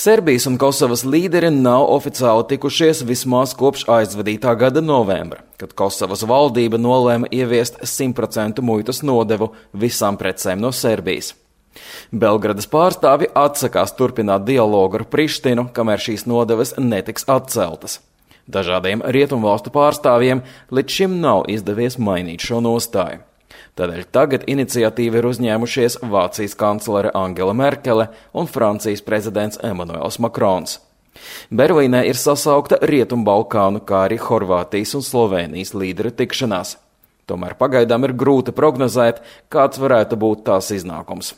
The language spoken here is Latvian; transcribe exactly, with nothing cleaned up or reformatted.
Serbijas un Kosovas līderi nav oficiāli tikušies vismaz kopš aizvadītā gada novembra, kad Kosovas valdība nolēma ieviest simt procentu muitas nodevu visām precēm no Serbijas. Belgradas pārstāvi atsakās turpināt dialogu ar Prištinu, kamēr šīs nodevas netiks atceltas. Dažādiem rietumvalstu pārstāvjiem līdz šim nav izdevies mainīt šo nostāju. Tādēļ tagad iniciatīvu ir uzņēmušies Vācijas kanclere Angela Merkele un Francijas prezidents Emmanuels Macrons. Berlīnē ir sasaukta Rietumbalkānu, kā arī Horvātijas un Slovēnijas līderu tikšanās. Tomēr pagaidām ir grūti prognozēt, kāds varētu būt tās iznākums.